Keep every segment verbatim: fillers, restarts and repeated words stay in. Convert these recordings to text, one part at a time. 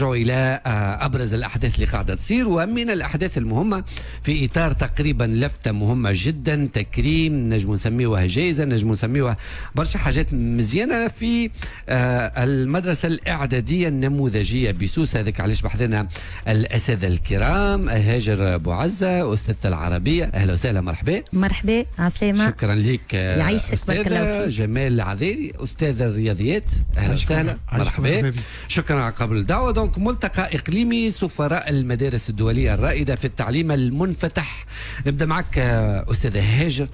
إلى أبرز الأحداث اللي قاعدة تصير، ومن الأحداث المهمة في إطار تقريبا لفتة مهمة جدا، تكريم نجم نسميوها جائزة، نجم نسميوها برشا حاجات مزيانة في المدرسة الإعدادية النموذجية بسوسة. هذاك علاش بحثنا الأساتذة الكرام هاجر بوعزة أستاذة العربية، أهلا وسهلا، مرحبا. مرحبا، عسلامة. شكرا لك. يعيشك، بارك الله فيك. جمال العذيري أستاذ الرياضيات، أهلا وسهلا، مرحبا. شكرا على قبول الدعوة. ملتقى إقليمي سفراء المدارس الدولية الرائدة في التعليم المنفتح. نبدأ معك أستاذة هاجر،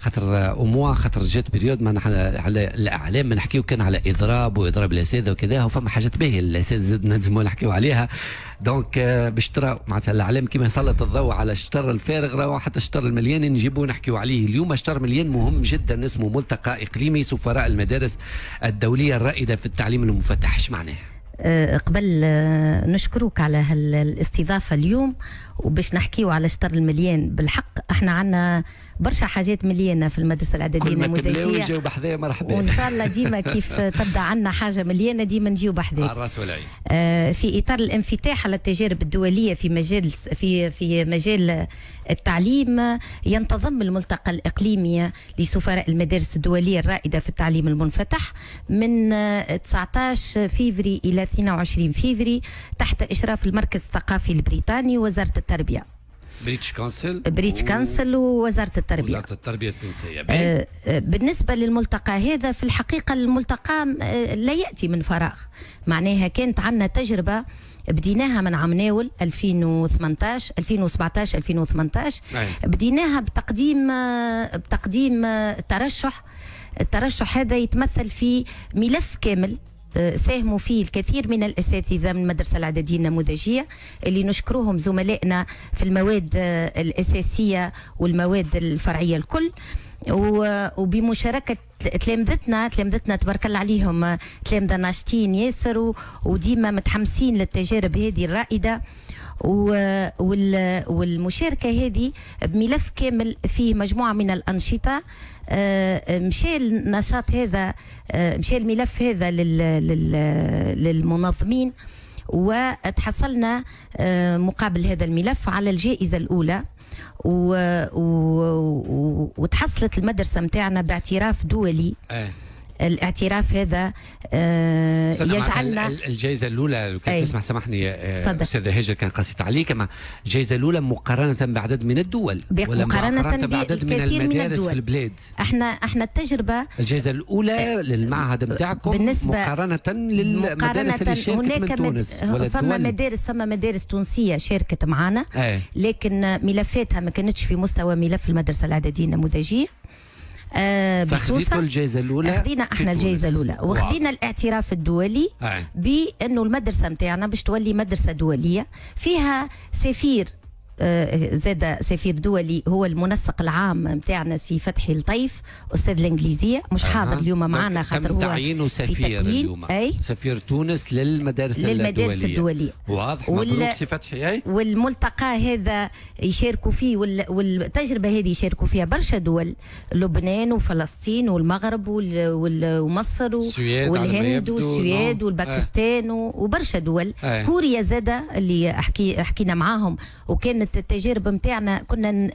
خاطر au moins خاطر جات période ما نحن على الإعلام ما نحكيو كان على إضراب وإضراب الأساتذة وكذا، وفما حاجات باهية الأساتذة نجمو نحكيو عليها. donc باش ترى معناتها الإعلام كيما يسلط الضوء على الشطر الفارغ، راهو حتى الشطر المليان نجيبو نحكيو عليه. اليوم شطر مليان مهم جدا اسمه ملتقى إقليمي سفراء المدارس الدولية الرائدة في التعليم المنفتح. اش معناه؟ قبل نشكرك على هالاستضافة اليوم وباش نحكيو على شطر المليان. بالحق احنا عندنا برشا حاجات مليانة في المدرسة الإعدادية النموذجية. كل ما مرحبا، وإن شاء الله ديما كيف تبدا عندنا حاجة مليانة ديما نجيو بحذاك. على الراس والعين. آه في إطار الانفتاح على التجارب الدولية في مجال في في مجال التعليم، ينتظم الملتقى الإقليمي لسفراء المدارس الدولية الرائدة في التعليم المنفتح من تسعة عشر فيفري إلى اثنين وعشرين فيفري تحت إشراف المركز الثقافي البريطاني ووزارة التربية. British Council British Council ووزارة التربية. وزارة التربية التونسية. آه بالنسبة للملتقى هذا، في الحقيقة الملتقى لا يأتي من فراغ، معناها كانت عندنا تجربة بديناها من عام ناول ألفين وثمنطاش ألفين وسبعطاش ألفين وثمنطاش. بديناها بتقديم بتقديم ترشح. الترشح هذا يتمثل في ملف كامل ساهموا فيه الكثير من الأساتذة من المدرسة الإعدادية النموذجية اللي نشكرهم زملائنا في المواد الأساسية والمواد الفرعية الكل، وبمشاركة تلامذتنا تلامذتنا تبارك الله عليهم، تلامذة ناشطين ياسر وديما متحمسين للتجارب هذه الرائدة. والمشاركة هذه بملف كامل فيه مجموعة من الأنشطة. مشى النشاط هذا، مشى الملف هذا للمنظمين، وتحصلنا مقابل هذا الملف على الجائزة الأولى، و... و... وتحصلت المدرسة متاعنا باعتراف دولي. أه. الاعتراف هذا آه يجعلنا الجائزة الأولى لو كان تسمح سامحني أستاذة هاجر كان قصيت عليك، أما الجائزة الأولى مقارنة بعدد من الدول ولا مقارنة, مقارنة بعدد من المدارس من في البلاد. احنا احنا التجربة الجائزة الأولى للمعهد نتاعكم مقارنة للمدارس اللي شاركت من تونس ولا فما مدارس فما مدارس تونسية شاركت معنا، لكن ملفاتها ما كانتش في مستوى ملف المدرسة الإعدادية النموذجية. آه فخذيتوا الجائزة الأولى؟ خذينا احنا الجائزة الأولى وخذينا الاعتراف الدولي آه. بأنه المدرسة نتاعنا باش تولي مدرسة دولية فيها سفير، آه زاد سفير دولي هو المنسق العام نتاعنا سي فتحي لطيف أستاذ الإنجليزية، مش آه. حاضر اليوم معنا خاطر هو تعيينه سفير اليوم. أي سفير تونس للمدارس, للمدارس الدولية. الدولية. واضح، مبروك سي فتحي. أي والملتقى هذا يشاركوا فيه والتجربة هذه يشاركوا فيها برشا دول، لبنان وفلسطين والمغرب ومصر والهند والسويد والباكستان آه. وبرشا دول. آه. كوريا زادة اللي احكي حكينا معاهم، وكانت التجارب نتاعنا كنا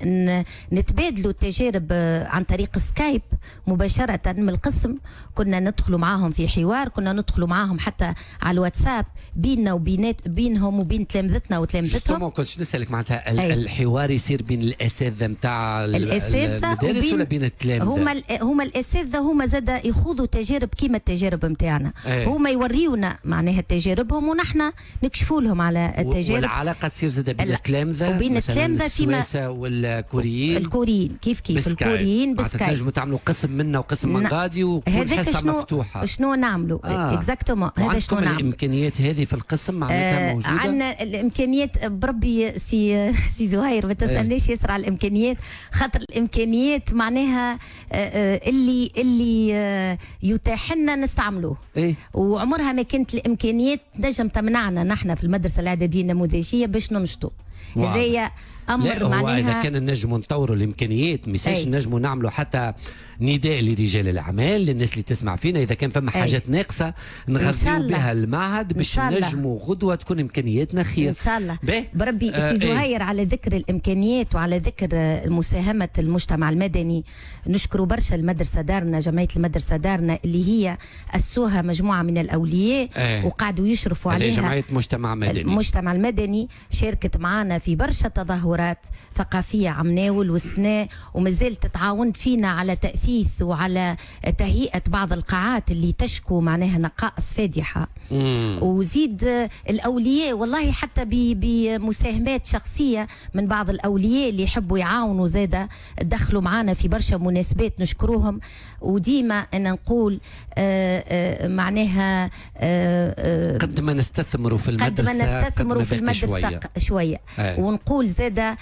نتبادلوا التجارب عن طريق سكايب مباشرة من القسم، كنا ندخلوا معاهم في حوار، كنا ندخلوا معاهم حتى على الواتساب بيننا وبينات بينهم وبين تلامذتنا وتلامذتهم. ما كنتش نسألك معناتها الحوار يصير بين الأساتذة نتاع المدارس ولا بين التلامذة؟ هما هما الأساتذة هما زاد يخوضوا تجارب كيما التجارب نتاعنا، هما يوريونا معناها تجاربهم ونحن نكشفوا لهم على التجارب. والعلاقة تصير زاد بين التلامذة وبين التلامذة فيما والكوريين. الكوريين كيف كيف الكوريين بسكايب. تنجموا تعملوا قسم منا وقسم من غادي وكل حصة مفتوحة. شنو نعملوا؟ آه. exactement هذا شنو نعملوا. الامكانيات هذه في القسم معناتها آه موجودة؟ عندنا الامكانيات بربي سي سي زهير ما تسالنيش ياسر على الامكانيات، خاطر الامكانيات معناها آه اللي اللي آه يتاح لنا نستعملوه. إيه؟ وعمرها ما كانت الامكانيات تنجم تمنعنا نحن في المدرسة الإعدادية النموذجية باش ننشطوا. هذايا امر معناها اذا كان نجموا نطوروا الامكانيات ميساش نجموا نعملوا حتى نداء لرجال الاعمال، للناس اللي تسمع فينا، اذا كان فما حاجات ناقصه نغذيو بها المعهد باش نجموا غدوه تكون امكانياتنا خير ان شاء الله. بربي سي زهير، على ذكر الامكانيات وعلى ذكر مساهمة المجتمع المدني، نشكروا برشا المدرسة دارنا، جمعية المدرسة دارنا اللي هي اسوها مجموعة من الاولياء ايه. وقعدوا يشرفوا عليها. جمعية مجتمع مدني، المجتمع المدني شاركت معنا في برشا تظاهرات ثقافية عمناول والسنة، ومازالت تتعاون فينا على تأثيث وعلى تهيئة بعض القاعات اللي تشكو معناها نقائص فادحة. مم. وزيد الأولياء والله حتى بمساهمات شخصية من بعض الأولياء اللي يحبوا يعاونوا زادة دخلوا معنا في برشا مناسبات نشكروهم. وديما أنا نقول آآ آآ معناها آآ قد ما نستثمروا في المدرسة، قد ما نستثمروا في المدرسة شوية, شوية. ونقول زادة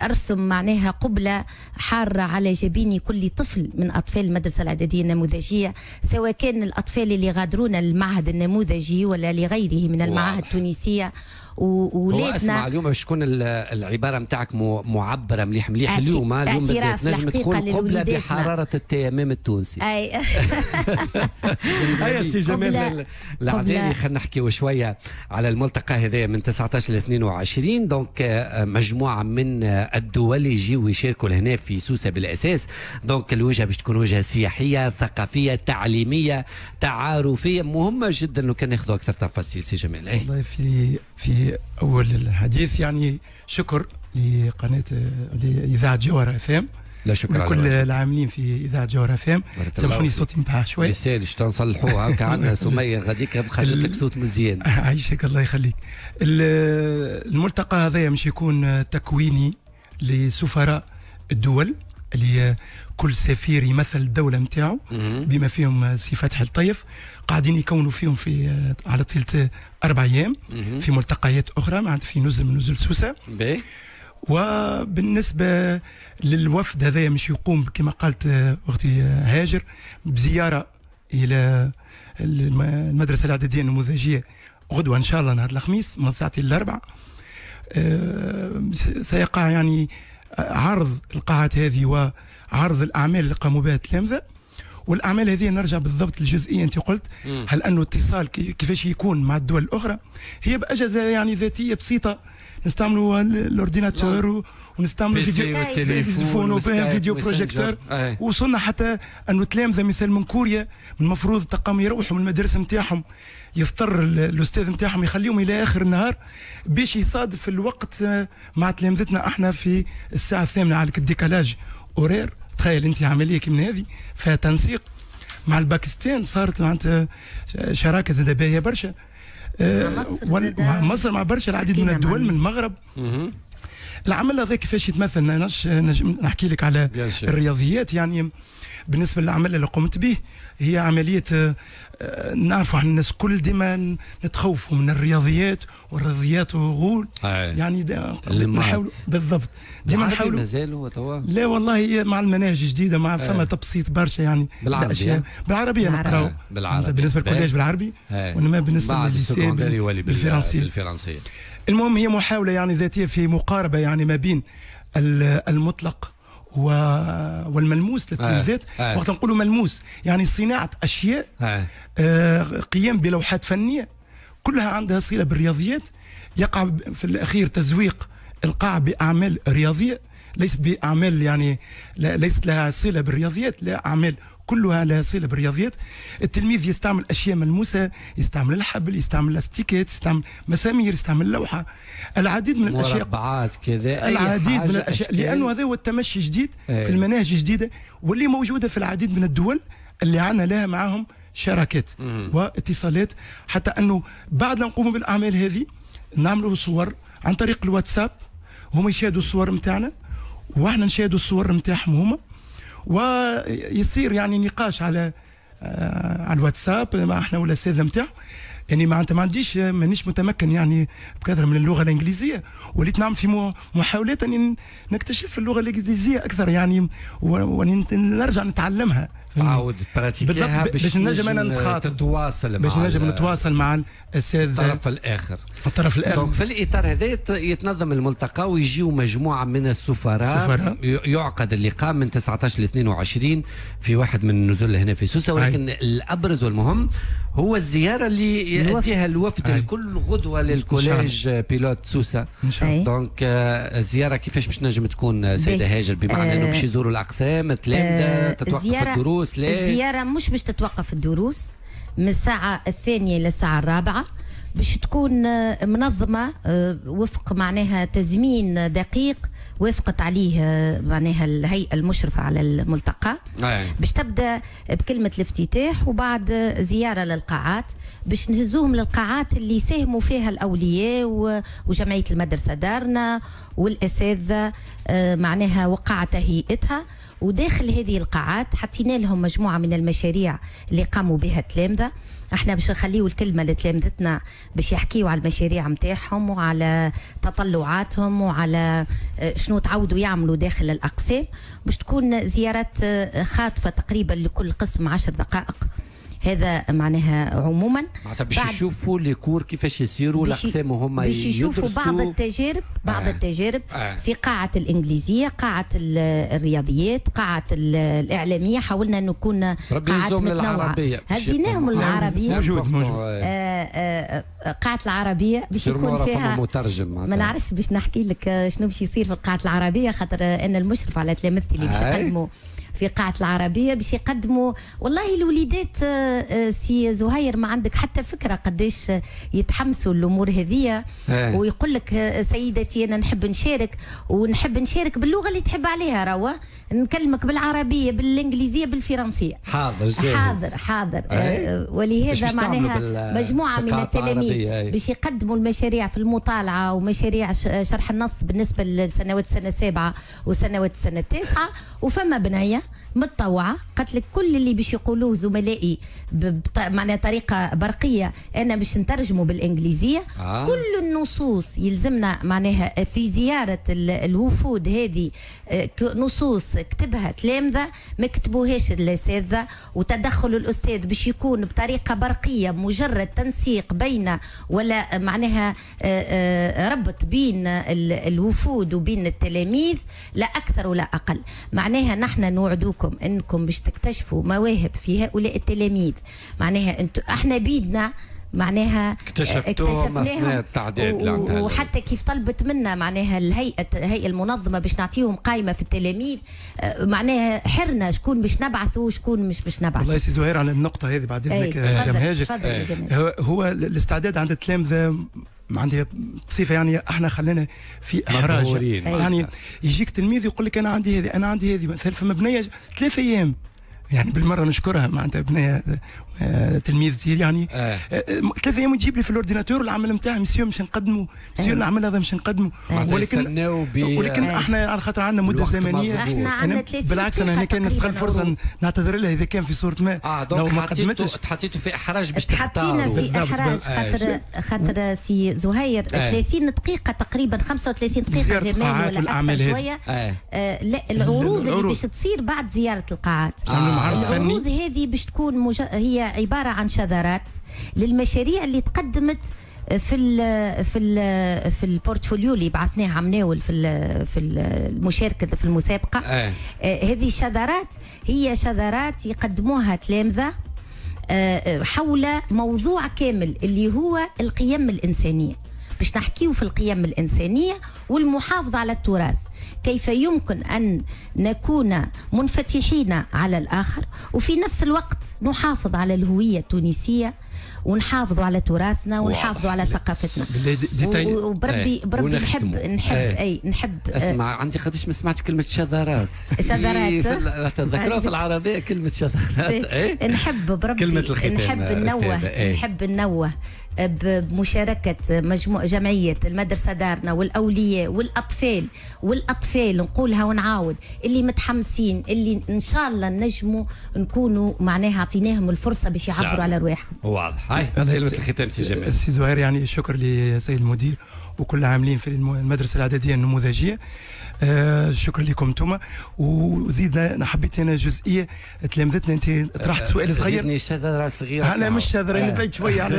أرسم معناها قبلة حارة على جبين كل طفل من أطفال المدرسة الإعدادية النموذجية، سواء كان الأطفال اللي غادرونا المعهد النموذجي ولا لغيره من المعاهد التونسية. وولادنا اسمع اليوم باش تكون العبارة نتاعك معبرة مليح مليح اليوم اليوم بدات نجم تكون قبله بحرارة التيمم التونسي. اي هيا سي جمال العدالي، خلينا نحكيو شوية على الملتقى هذايا من تسعطاش ل اثنين وعشرين. donc مجموعة من الدول يجيو يشاركوا لهنا في سوسة بالاساس. donc الوجهة باش تكون وجهه سياحية ثقافية تعليمية تعارفيه مهمة جدا. لو كان ناخذوا اكثر تفاصيل سي جمال. والله في في أول الحديث يعني شكر لقناة لإذاعة جوهرة اف ام، لا شكر على كل العاملين في إذاعة جوهرة اف ام. سامحوني صوتي مبحاح شوي، ما نصلحوها هكا عندنا سمية غاديك خرجت لك صوت مزيان. عايشك الله يخليك. الملتقى هذايا مش يكون تكويني لسفراء الدول اللي كل سفير يمثل الدولة نتاعو بما فيهم سي فتحي الطيف، قاعدين يكونوا فيهم في على طيلة أربع أيام في ملتقيات أخرى معناتها في نزل من نزل سوسة. وبالنسبة للوفد هذايا مش يقوم كما قالت أختي هاجر بزيارة إلى المدرسة الإعدادية النموذجية غدوة إن شاء الله نهار الخميس من ساعتين للأربع. سيقع يعني عرض القاعات هذه وعرض الأعمال اللي قاموا بها التلامذة. والأعمال هذه نرجع بالضبط للجزئية أنت قلت، مم. هل أنه اتصال كيفاش يكون مع الدول الأخرى؟ هي بأجهزة يعني ذاتية بسيطة، نستعملوا ال ordinateur ونستعملوا فيديو vidéo projecteur. وصلنا حتى أنه تلامذة مثال من كوريا من المفروض تقام يروحوا من المدارس نتاعهم، يضطر الاستاذ نتاعهم يخليهم الى اخر النهار باش يصادف الوقت مع تلامذتنا احنا في الساعة الثامنة على ال décalage horaire. تخيل انت عملية كيما هذه فيها تنسيق مع الباكستان، صارت معناتها شراكة زاده باهيه برشا مع مصر، مع مصر، مع برشا العديد من الدول من المغرب. العمل هذا كيفاش يتمثل؟ نجم نحكي لك على الرياضيات. يعني بالنسبة للعمل اللي قمت به هي عملية نعرفوا احنا الناس كل ديما نتخوفوا من الرياضيات والرياضيات وغول يعني نحاول بالضبط ديما نحاولوا. مازال هو توا؟ لا والله مع المناهج الجديدة مع فما تبسيط برشا يعني بالعربية. بالعربية نقراو بالعربي بالنسبة لل collège بالعربي، وانما بالنسبة للل lycée بالفرنسيه. بالفرنسيه. المهم هي محاولة يعني ذاتية في مقاربة يعني ما بين المطلق والملموس للتلميذات. آه. آه. وقت نقولوا ملموس يعني صناعة أشياء، آه. آه، قيام بلوحات فنية كلها عندها صلة بالرياضيات. يقع في الأخير تزويق القاع بأعمال رياضية، ليست بأعمال يعني ليست لها صلة بالرياضيات، لا أعمال كلها لها صلة بالرياضيات. التلميذ يستعمل أشياء ملموسة، يستعمل الحبل، يستعمل لاستيكات، يستعمل مسامير، يستعمل لوحة، العديد من الأشياء، مربعات كذا، العديد من الأشياء، لأنه هذا هو التمشي الجديد ايه. في المناهج الجديدة واللي موجودة في العديد من الدول اللي عندنا لها معاهم شراكات واتصالات. حتى أنه بعد لا نقوم بالأعمال هذه نعملوا صور عن طريق الواتساب، هم يشاهدوا الصور نتاعنا واحنا نشاهدوا الصور نتاعهم هما، ويصير يعني نقاش على آه على الواتساب مع احنا والاساتذه نتاعو. يعني معناتها ما عنديش مانيش متمكن يعني بكثرة من اللغة الانجليزية، وليت نعمل في محاولات اني نكتشف اللغة الانجليزية اكثر يعني ونرجع نتعلمها. تعاود تبراتيكيها باش نجم انا نتخاطب تتواصل باش نجم نتواصل مع الاساتذة الطرف الاخر الطرف الاخر. donc في الاطار هذا يتنظم الملتقى ويجيو مجموعة من السفراء، يعقد اللقاء من تسعطاش ل اثنين وعشرين في واحد من النزل هنا في سوسة، ولكن أي. الابرز والمهم هو الزيارة اللي ياتيها الوفد الكل غدوه لل collège pilote سوسة. donc الزيارة كيفاش باش نجم تكون سيده هاجر؟ بمعنى انه باش يزوروا الاقسام التلامذه، تتوقف الدروس؟ لا، الزيارة مش باش تتوقف الدروس، من الساعة الثانية للساعة الرابعة باش تكون منظمة وفق معناها تزمين دقيق وافقت عليه معناها الهيئة المشرفة على الملتقى. باش تبدا بكلمه الافتتاح وبعد زيارة للقاعات، باش نهزوهم للقاعات اللي ساهموا فيها الاولياء وجمعية المدرسة دارنا والاساتذه معناها وقع تهيئتها. وداخل هذه القاعات حطينا لهم مجموعة من المشاريع اللي قاموا بها التلامذه. احنا باش نخليو الكلمة لتلامذتنا باش يحكيوا على المشاريع نتاعهم وعلى تطلعاتهم وعلى شنو تعودوا يعملوا داخل الاقسام. باش تكون زيارات خاطفه تقريبا لكل قسم عشر دقائق، هذا معناها عموما معناتها باش يشوفوا les cours كيفاش يسيروا الاقسام وهما باش يشوفوا بعض التجارب بعض آه. التجارب آه. في قاعة الانجليزية، قاعة الرياضيات، قاعة الاعلامية. حاولنا نكون قاعات متنوعة، هزيناهم العربية موجود موجود آه آه قاعة العربية باش يكون فيها مترجم. ما نعرفش باش نحكي لك شنو باش يصير في القاعة العربية، خاطر انا المشرف على تلامذتي اللي باش يقدموا في قاعة العربية باش يقدموا. والله الوليدات سي زهير ما عندك حتى فكرة قداش يتحمسوا الأمور هذية، ويقول لك سيدتي أنا نحب نشارك، ونحب نشارك باللغة اللي تحب عليها، روا نكلمك بالعربية بالإنجليزية بالفرنسية. حاضر جاهز. حاضر حاضر. آه ولهذا معناها مجموعة من التلاميذ باش يقدموا المشاريع في المطالعة ومشاريع شرح النص بالنسبة لسنوات السنة السابعة وسنوات السنة التاسعة. وفما بنية متطوعة قالت لك كل اللي باش يقولوه زملائي معناها طريقة برقية أنا باش نترجمه بالإنجليزية. آه. كل النصوص يلزمنا معناها في زيارة الوفود هذه نصوص كتبها تلامذة ما كتبوهاش الأساتذة، وتدخل الأستاذ باش يكون بطريقة برقية، مجرد تنسيق بين ولا معناها ربط بين الوفود وبين التلاميذ، لا أكثر ولا أقل. معناها نحن نوعدوكم انكم باش تكتشفوا مواهب في هؤلاء التلاميذ. معناها انتم احنا بيدنا معناها اكتشفتوهم اثناء التعداد، وحتى كيف طلبت منا معناها الهيئة الهيئة المنظمة باش نعطيهم قائمة في التلاميذ، معناها حرنا شكون باش نبعثوا وشكون مش باش نبعثوا. والله يا سي زهير على النقطة هذه بعد اذنك يا هاجر، هو الاستعداد عند التلامذه عندي بصفة يعني احنا خلينا في احراج، يعني يجيك تلميذ يقول لك انا عندي هذه انا عندي هذه، مثلا فما بنيه ثلاث ايام يعني بالمرة نشكرها معناتها بنيه تلميذتي يعني آه. ثلاث ايام تجيب لي في ال ordinateur العمل نتاعها، مسيو مش نقدمه، مسيو العمل هذا مش نقدمه، ولكن ولكن آه. احنا على خاطر عندنا مده زمنية، احنا عندنا ثلاثين بالعكس انا هنا كان نستغل الفرصة نعتذر لها اذا كان في صوره ما اه لو ما قدمتش. تحطيتوا في احراج باش تختاروا. تحطينا في احراج خاطر خاطر سي زهير ثلاثين دقيقة تقريبا خمسة وثلاثين دقيقة جمال ولا اكثر شوية. لا العروض اللي باش تصير بعد زيارة القاعات، العروض هذه باش تكون مج... هي عبارة عن شذرات للمشاريع اللي تقدمت في ال في ال في ال portfolio اللي بعثناه عمناول في ال في المشاركة في المسابقة. آه. آه هذه الشذرات هي شذرات يقدموها تلامذه آه حول موضوع كامل اللي هو القيم الانسانية، باش نحكيو في القيم الانسانية والمحافظة على التراث، كيف يمكن أن نكون منفتحين على الآخر وفي نفس الوقت نحافظ على الهوية التونسية ونحافظوا على تراثنا ونحافظوا على ثقافتنا. وبربي بربي نحب نحب اي نحب. اسمع عندي قداش ما سمعت كلمة شذرات. شذرات تذكروها في العربية كلمة شذرات. اي نحب بربي كلمة الختام نحب ننوه نحب ننوه بمشاركة مجموعة جمعية المدرسة دارنا والاولياء والاطفال، والاطفال نقولها ونعاود اللي متحمسين، اللي ان شاء الله نجموا نكونوا معناها اعطيناهم الفرصة باش يعبروا على رواحهم. واضح. هاي كلمة الختام سي جمال. سي زهير، يعني شكر لسيد المدير وكل عاملين في المدرسة الاعدادية النموذجيه. آه شكرا لكم انتم. وزيد حبيت انا جزئية تلامذتنا، انت طرحت سؤال صغير. زيدني شذره صغيرة. انا مش شذره، انا بعيد شوية على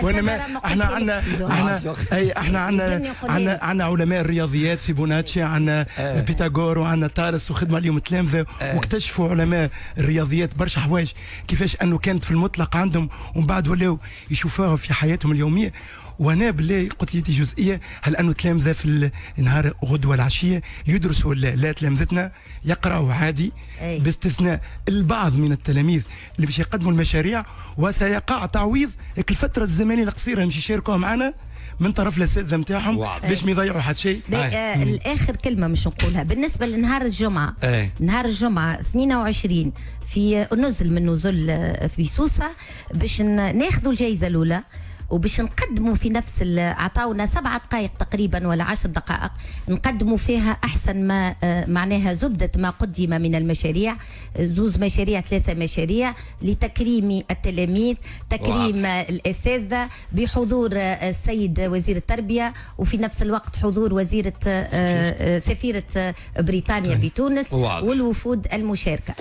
وانا احنا عندنا احنا اي احنا عندنا عندنا عندنا علماء الرياضيات في بوناتشي، عندنا بيتاغور وعندنا طالس، وخدموا عليهم التلامذه واكتشفوا علماء الرياضيات برشا حوايج كيفاش انه كانت في المطلق عندهم ومن بعد ولاو يشوفوها في حياتهم اليومية. وانا بالله قلت لي جزئية، هل انه تلامذه في النهار غدوه العشية يدرسوا ولا لا؟ تلامذتنا يقراوا عادي، أي. باستثناء البعض من التلاميذ اللي باش يقدموا المشاريع، وسيقع تعويض الفترة الزمنية القصيرة اللي باش يشاركوها معنا من طرف الاساتذة نتاعهم باش ما يضيعوا حتى شيء. آه الاخر كلمة مش نقولها بالنسبة لنهار الجمعة. أي. نهار الجمعة اثنين وعشرين في نزل من نزل في سوسة باش ناخذوا الجائزة الاولى، وباش نقدموا في نفس عطاونا سبعة دقائق تقريبا ولا عشر دقائق نقدموا فيها احسن ما معناها زبدة ما قدم من المشاريع، زوز مشاريع ثلاثة مشاريع لتكريم التلاميذ، تكريم الاساتذة بحضور السيد وزير التربية، وفي نفس الوقت حضور وزيره سفيره بريطانيا بتونس والوفود المشاركة.